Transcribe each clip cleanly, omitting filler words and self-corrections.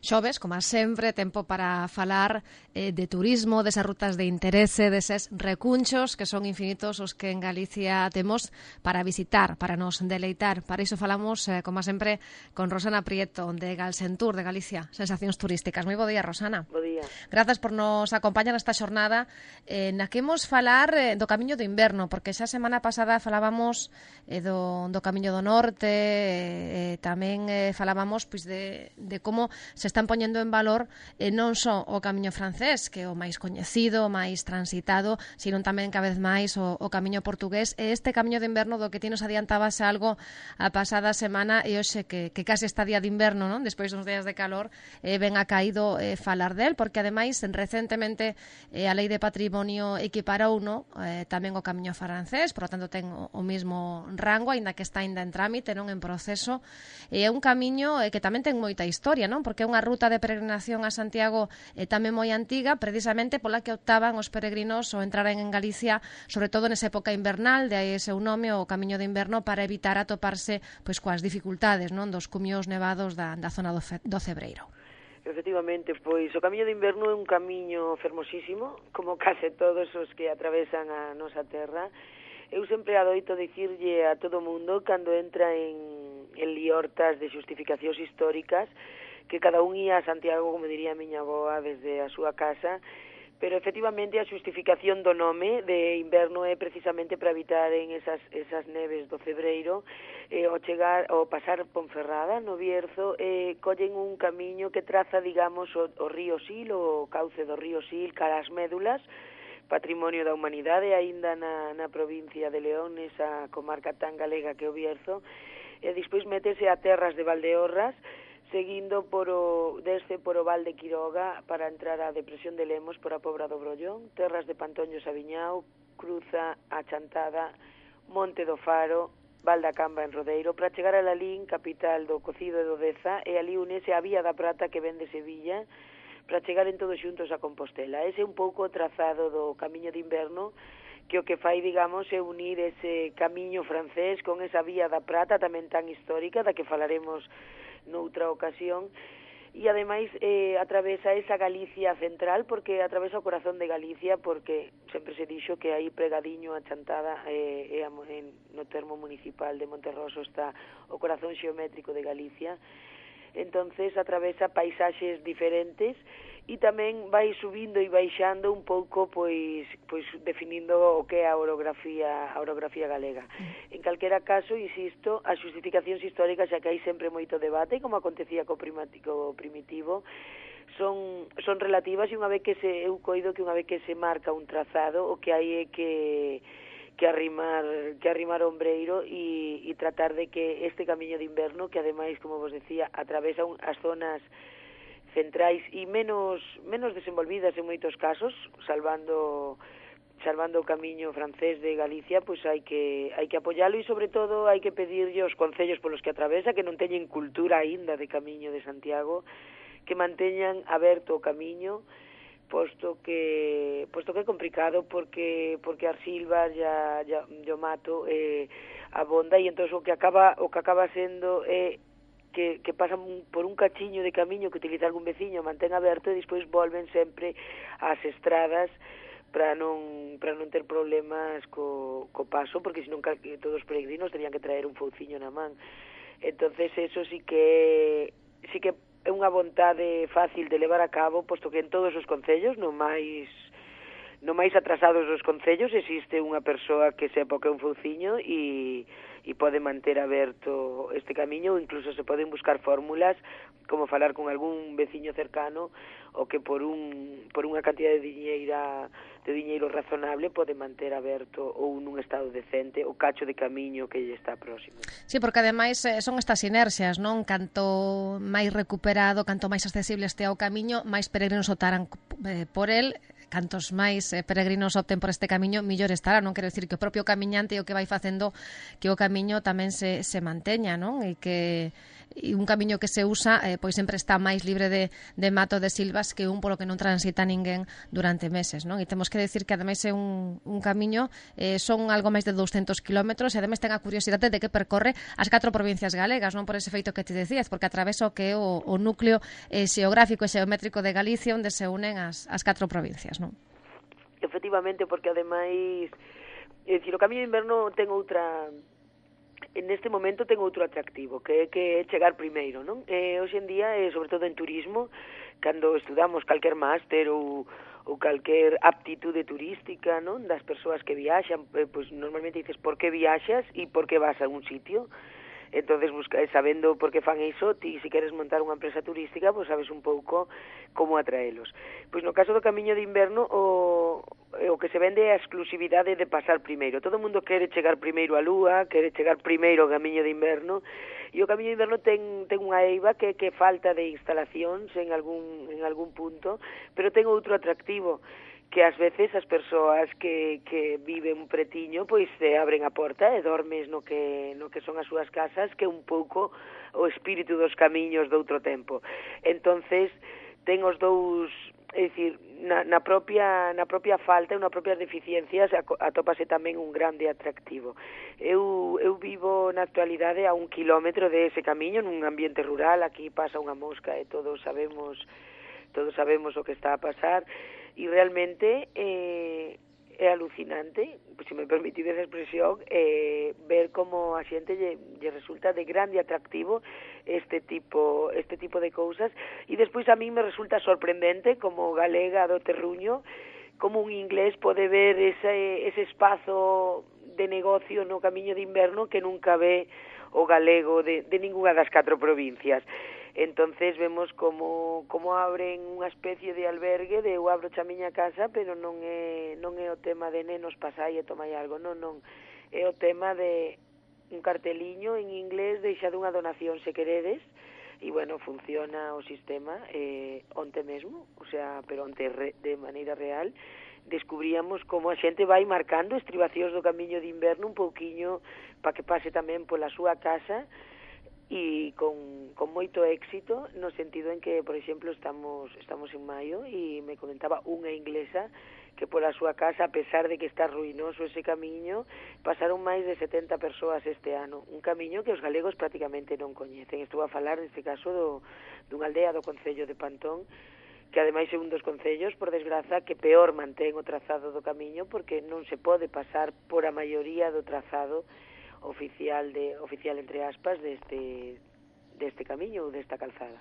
Xoves, como sempre, tempo para falar de turismo, desas rutas de interese, deses recunchos que son infinitos os que en Galicia temos para visitar, para nos deleitar. Para iso falamos, como sempre, con Rosana Prieto, de Galsentur, de Galicia, Sensacións Turísticas. Moi bo día, Rosana. Bo día. Grazas por nos acompañar nesta xornada na que imos falar do Camiño do Inverno, porque xa semana pasada falábamos do Camiño do Norte, tamén falábamos pois de como se están poñendo en valor non só o Camiño francés, que é o máis coñecido, o máis transitado, sino tamén cada vez máis o Camiño portugués, e este Camiño de Inverno do que ti nos adiantabas algo a pasada semana, e hoxe que case está día de inverno, non? Despois dos días de calor, ben ha caído falar del, porque ademais recentemente a Lei de Patrimonio equiparou tamén o Camiño francés, por lo tanto ten o mesmo rango, aínda que está ainda en trámite, non en proceso, e é un camiño que tamén ten moita historia, non? Porque é unha ruta de peregrinación a Santiago tamén moi antiga, precisamente pola que optaban os peregrinos ou entraren en Galicia, sobre todo nesa época invernal, de aí seu nome, o Camiño de Inverno, para evitar atoparse pois coas dificultades, non, dos cumios nevados da zona do Cebreiro. Efectivamente, pois o Camiño de Inverno é un camiño fermosísimo, como case todos os que atravesan a nosa terra. Eu sempre adoito dicirlle a todo mundo cando entra en liortas de xustificacións históricas que cada un ia a Santiago, como diría a miña avoa, desde a súa casa, pero efectivamente a xustificación do nome de inverno é precisamente para evitar en esas neves do Cebreiro, ao pasar Ponferrada no Bierzo, collen un camiño que traza, digamos, o río Sil, o cauce do río Sil, cara as médulas, patrimonio da humanidade, aínda na provincia de León, nesa comarca tan galega que é o Bierzo, e despois métese a terras de Valdeorras, seguindo desde por o Val de Quiroga para entrar á depresión de Lemos por a Pobra do Brollón, terras de Pantoños a Viñao, cruza a Chantada, Monte do Faro, Val da Camba en Rodeiro, para chegar a Lalín, capital do Cocido e do Deza, e ali unese a Vía da Prata que ven de Sevilla, para chegar en todos xuntos a Compostela. Ese é un pouco o trazado do Camiño de Inverno, que o que fai, digamos, é unir ese camiño francés con esa Vía da Prata tamén tan histórica, da que falaremos noutra ocasión, e ademais atravesa esa Galicia central, porque atravesa o corazón de Galicia, porque sempre se dixo que aí pregadiño a Chantada no termo municipal de Monterroso está o corazón xeométrico de Galicia. Entonces atravesa paisaxes diferentes e tamén vai subindo e baixando un pouco, pois definindo o que é a orografía galega. En calquera caso, insisto, as xustificacións históricas, xa que hai sempre moito debate, como acontecía co primitivo, son relativas, e unha vez que eu coido que unha vez que se marca un trazado, o que hai é que arrimar ombreiro e tratar de que este Camiño de Inverno, que ademais, como vos decía, atravesa as zonas centrais e menos desenvolvidas en moitos casos, salvando o camiño francés de Galicia, pois hai que apoialo, e sobre todo hai que pedirlle aos concellos polos que atravesa, que non teñen cultura aínda de Camiño de Santiago, que manteñan aberto o camiño, posto que é complicado, porque as silvas o mato abonda, e entón o que acaba sendo que pasan por un cachiño de camiño que utiliza algún veciño, mantén aberto, e despois volven sempre ás estradas para non ter problemas co paso, porque senón todos os peregrinos terían que traer un fouciño na man. Entonces eso sí que é unha vontade fácil de levar a cabo, posto que en todos os concellos, no máis atrasados dos concellos, existe unha persoa que sepa o que é un fouciño e pode manter aberto este camiño, ou incluso se poden buscar fórmulas, como falar con algún veciño cercano, o que por unha cantidad de diñeiro razonable pode manter aberto ou nun estado decente o cacho de camiño que lle está próximo. Sí, porque ademais son estas inercias, non? Canto máis recuperado, canto máis accesible este ao camiño, máis peregrinos optarán por el. Cantos máis peregrinos opten por este camiño, millor estará. Non quero dicir que o propio camiñante é o que vai facendo que o camiño tamén se manteña, non? E que e un camiño que se usa pois sempre está máis libre de mato de silvas que un polo que non transita ninguén durante meses, non? E temos que decir que ademais é un camiño, son algo máis de 200 kilómetros e ademais ten a curiosidade de que percorre as 4 provincias galegas, non por ese feito que te decías, porque atravesa o que é o núcleo xeográfico e xeométrico de Galicia onde se unen as 4 provincias, non? Efectivamente, porque ademais, é dicir, o Camiño de Inverno ten outra, neste momento ten outro atractivo, que é chegar primeiro, non? Hoxe en día, sobre todo en turismo, cando estudamos calquer máster ou calquer aptitude turística, non? Das persoas que viaxan, pois normalmente dices por que viaxas e por que vas a un sitio. Entonces, sabendo por que fan iso, ti, se queres montar unha empresa turística, pois sabes un pouco como atraelos. Pois no caso do Camiño de Inverno, o que se vende é a exclusividade de pasar primeiro. Todo o mundo quere chegar primeiro á Lúa, quere chegar primeiro ao Camiño de Inverno, e o Camiño de Inverno ten unha eiva que falta de instalacións en algún punto, pero ten outro atractivo, que ás veces as persoas que viven pretiño pois se abren a porta e dormes no que son as súas casas, que é un pouco o espírito dos camiños de outro tempo. Entonces ten os dous, é dicir, na propia falta e nas propias deficiencias atópase tamén un grande atractivo. Eu vivo na actualidade a 1 kilómetro de ese camiño, nun ambiente rural. Aquí pasa unha mosca e todos sabemos o que está a pasar, e realmente é alucinante, se me permitides a expresión, ver como a xente lle resulta de grande atractivo este tipo de cousas, e despois a mí me resulta sorprendente como galega do terruño como un inglés pode ver ese espazo de negocio no Camiño de Inverno que nunca ve o galego de ninguna das 4 provincias. Entonces vemos como abren unha especie de albergue de eu abro a miña casa, pero non é o tema de nenos pasai e tomai algo, non, é o tema de un carteliño en inglés, deixade unha donación se queredes, e bueno, funciona o sistema onte mesmo, o sea, pero onte de maneira real, descubríamos como a xente vai marcando estribacións do Camiño de Inverno un pouquiño para que pase tamén pola súa casa, e con moito éxito, no sentido en que, por exemplo, estamos en maio e me comentaba unha inglesa que pola súa casa, a pesar de que está ruinoso ese camiño, pasaron máis de 70 persoas este ano, un camiño que os galegos prácticamente non coñecen. Estou a falar, neste caso, dunha aldea do concello de Pantón, que ademais é un dos concellos, por desgraza, que peor mantén o trazado do camiño, porque non se pode pasar por a maioría do trazado oficial entre aspas deste camiño ou desta calzada.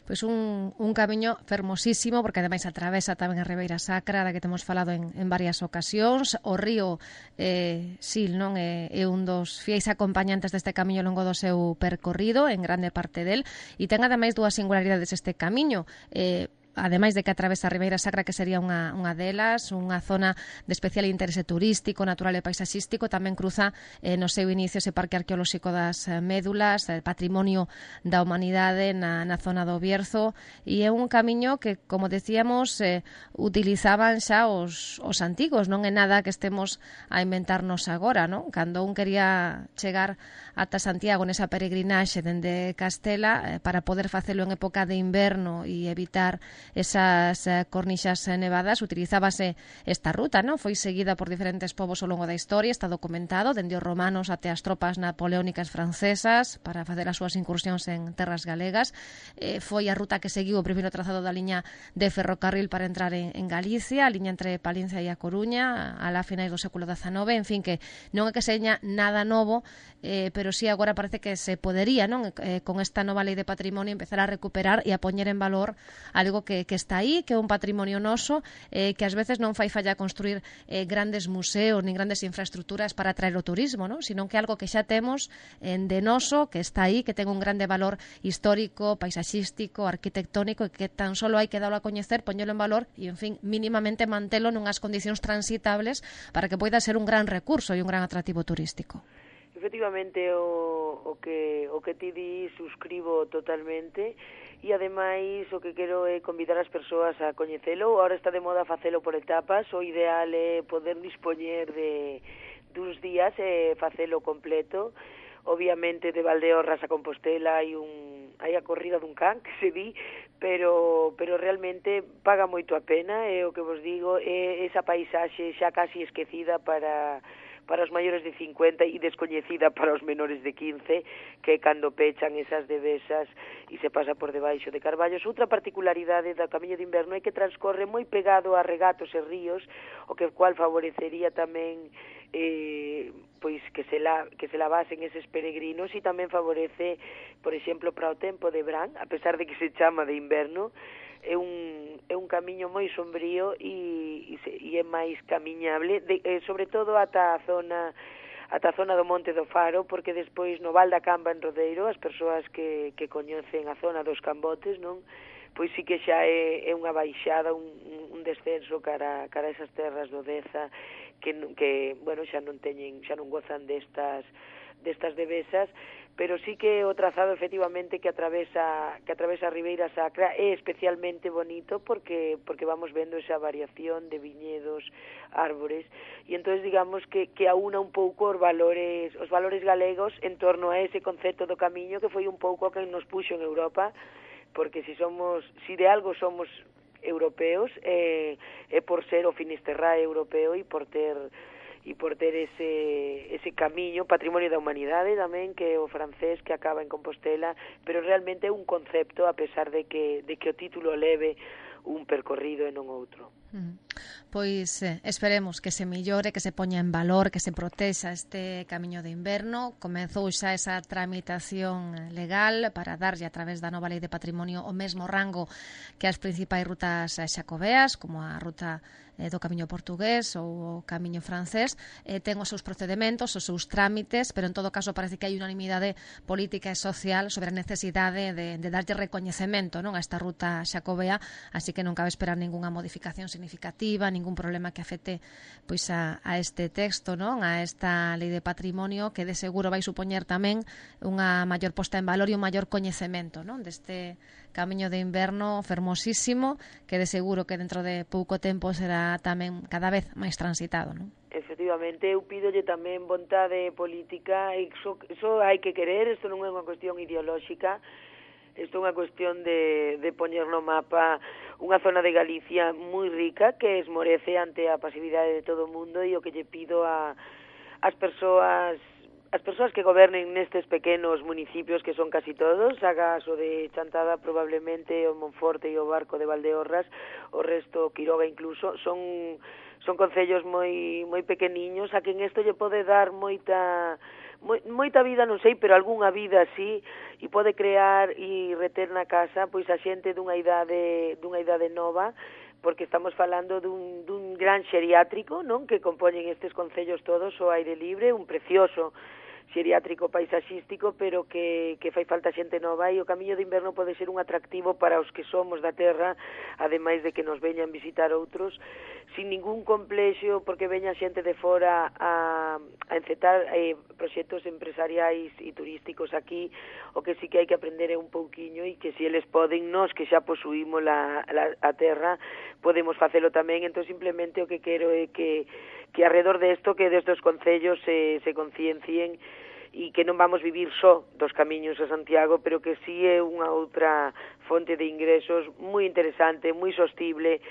Pois un camiño fermosísimo, porque ademais atravesa tamén a Ribeira Sacra, da que temos falado en varias ocasións. O río Sil, non, é un dos fiéis acompañantes deste camiño ao longo do seu percorrido, en grande parte del, e ten ademais dúas singularidades este camiño. Ademais de que atravesa a Ribeira Sacra, que sería unha delas, unha zona de especial interese turístico, natural e paisaxístico, tamén cruza no seu inicio ese parque arqueolóxico das Médulas, patrimonio da humanidade na zona do Bierzo, e é un camiño que, como decíamos, utilizaban xa os antigos, non é nada que estemos a inventarnos agora, non? Cando un quería chegar ata Santiago nesa peregrinaxe dende Castela, para poder facelo en época de inverno e evitar esas cornixas nevadas, utilizábase esta ruta, non? Foi seguida por diferentes povos ao longo da historia, está documentado, dende os romanos até as tropas napoleónicas francesas para facer as súas incursións en terras galegas. Foi a ruta que seguiu o primeiro trazado da liña de ferrocarril para entrar en Galicia, a liña entre Palencia e A Coruña, alá a finais do século XIX, en fin, que non é que seña nada novo, pero sí agora parece que se podería, non, con esta nova lei de patrimonio, empezar a recuperar e a poñer en valor algo que está aí, que é un patrimonio noso, que ás veces non fai falla construir grandes museos nin grandes infraestructuras para atraer o turismo, non? Sino que é algo que xa temos de noso, que está aí, que ten un grande valor histórico, paisaxístico, arquitectónico, e que tan solo hai que darlo a coñecer, poñelo en valor e, en fin, mínimamente mantelo nunhas condicións transitables para que poida ser un gran recurso e un gran atractivo turístico. Efectivamente, o que ti di suscribo totalmente, e ademais o que quero é convidar as persoas a coñecelo. Ahora está de moda facelo por etapas, o ideal é poder dispoñer duns días e facelo completo. obviamente de Valdeorras a Compostela hai a corrida dun can, que se di, pero realmente paga moito a pena, é o que vos digo, é esa paisaxe xa casi esquecida para os maiores de 50 e descoñecida para os menores de 15, que cando pechan esas devesas e se pasa por debaixo de carballos. Outra particularidade do Camiño de Inverno é que transcorre moi pegado a regatos e ríos, o que cual favorecería tamén pois que se lavasen eses peregrinos, e tamén favorece, por exemplo, para o tempo de verán, a pesar de que se chama de inverno, é un camiño moi sombrío e é máis camiñable, sobre todo ata a zona do Monte do Faro, porque despois no Val da Camba en Rodeiro, as persoas que coñecen a zona dos Cambotes, non? Pois sí que xa é unha baixada, un descenso cara a esas terras do Deza que bueno, xa non gozan destas devesas, pero sí que o trazado efectivamente que atravesa a Ribeira Sacra é especialmente bonito porque vamos vendo esa variación de viñedos, árbores, e entonces digamos que aúna un pouco os valores galegos en torno a ese concepto do camiño que foi un pouco que nos puxo en Europa, porque si de algo somos europeos é por ser o Finisterrae europeo e por ter ese camiño, patrimonio da humanidade tamén, que é o francés que acaba en Compostela, pero realmente é un concepto, a pesar de que o título leve un percorrido e non outro. Pois esperemos que se millore, que se poña en valor, que se protexa este Camiño de Inverno. Comezou xa esa tramitación legal para darlle a través da nova Lei de Patrimonio o mesmo rango que as principais rutas xacobeas, como a ruta do Camiño Portugués ou o Camiño Francés. Ten os seus procedementos, os seus trámites, pero en todo caso parece que hai unanimidade política e social sobre a necesidade de darlle recoñecemento, non, a esta ruta xacobea, así que non cabe esperar ningunha modificación significativa, ningún problema que afecte pois a este texto, non, a esta Lei de Patrimonio, que de seguro vai supoñer tamén unha maior posta en valor e un maior coñecemento, non, deste Camiño de Inverno fermosísimo, que de seguro que dentro de pouco tempo será tamén cada vez máis transitado, non? Efectivamente, eu pídolle tamén vontade política, e iso hai que querer, isto non é unha cuestión ideolóxica, isto é unha cuestión de poñer no mapa unha zona de Galicia moi rica que esmorece ante a pasividade de todo o mundo, e o que lle pido as persoas que gobernen nestes pequenos municipios, que son casi todos, agás o de Chantada probablemente, o Monforte e o Barco de Valdeorras, o resto, Quiroga incluso, son concellos moi pequeniños, a quen isto lle pode dar moita vida, non sei, pero algunha vida así, e pode crear e reter na casa pois a xente dunha idade nova, porque estamos falando dun gran xeriátrico, non, que compoñen estes concellos todos ao aire libre, un precioso xeriátrico paisaxístico, pero que fai falta xente nova, e o Camiño de Inverno pode ser un atractivo para os que somos da terra, ademais de que nos veñan visitar outros, sin ningún complexo, porque veña xente de fora a encetar proxectos empresariais e turísticos aquí. O que sí que hai que aprender é un pouquiño, e que se eles poden, nós que xa posuímos a terra, podemos facelo tamén. Entón simplemente o que quero é que alrededor desto, que destes concellos se conciencien, e que non vamos vivir só dos camiños a Santiago, pero que sí é unha outra fonte de ingresos moi interesante, moi sostible,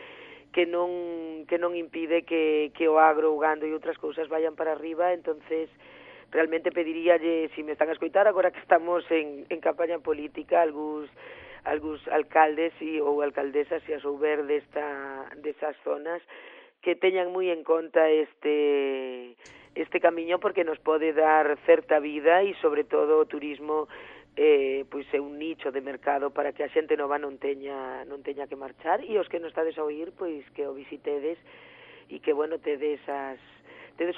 que non impide que o agro, o gando e outras cousas vayan para arriba. Entonces realmente pediríalle, se me están a escoitar agora que estamos en campaña política, algúns alcaldes ou alcaldesas, se as souber desas zonas, que teñan moi en conta este camiño, porque nos pode dar certa vida, e sobre todo o turismo pois é un nicho de mercado para que a xente nova non teña que marchar, e os que non estades a oír, pois que o visitedes, e que, bueno, tedes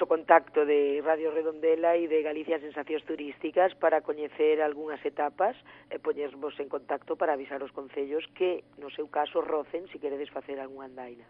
o contacto de Radio Redondela e de Galicia Sensacións Turísticas para coñecer algunhas etapas e poñervos en contacto para avisar os concellos que, no seu caso, rocen se queredes facer algunha andaina.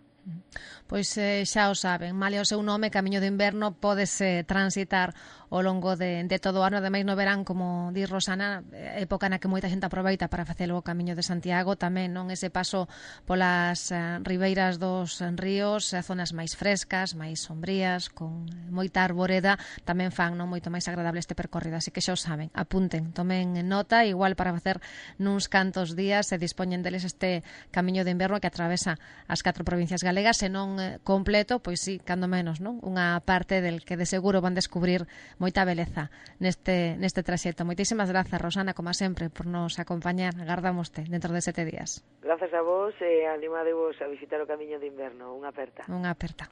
Pois xa o saben, malia o seu nome, Camiño do Inverno, pódese transitar ao longo de todo o ano, ademais no verán, como di Rosana, época na que moita xente aproveita para facelo o Camiño de Santiago, tamén non ese paso polas ribeiras dos ríos, zonas máis frescas, máis sombrías, con moita arboreda, tamén fan non moito máis agradable este percorrido, así que xa o saben, apunten, tomen nota, igual para facer nuns cantos días se dispoñen deles este Camiño de Inverno que atravesa as 4 provincias galegas, se non completo, pois sí, cando menos, non? Unha parte del que de seguro van descubrir moita beleza neste traxecto. Moitísimas grazas, Rosana, como sempre, por nos acompañar. Agardámoste dentro de 7 días. Grazas a vos e animadevos a visitar o Camiño de Inverno. Unha aperta. Unha aperta.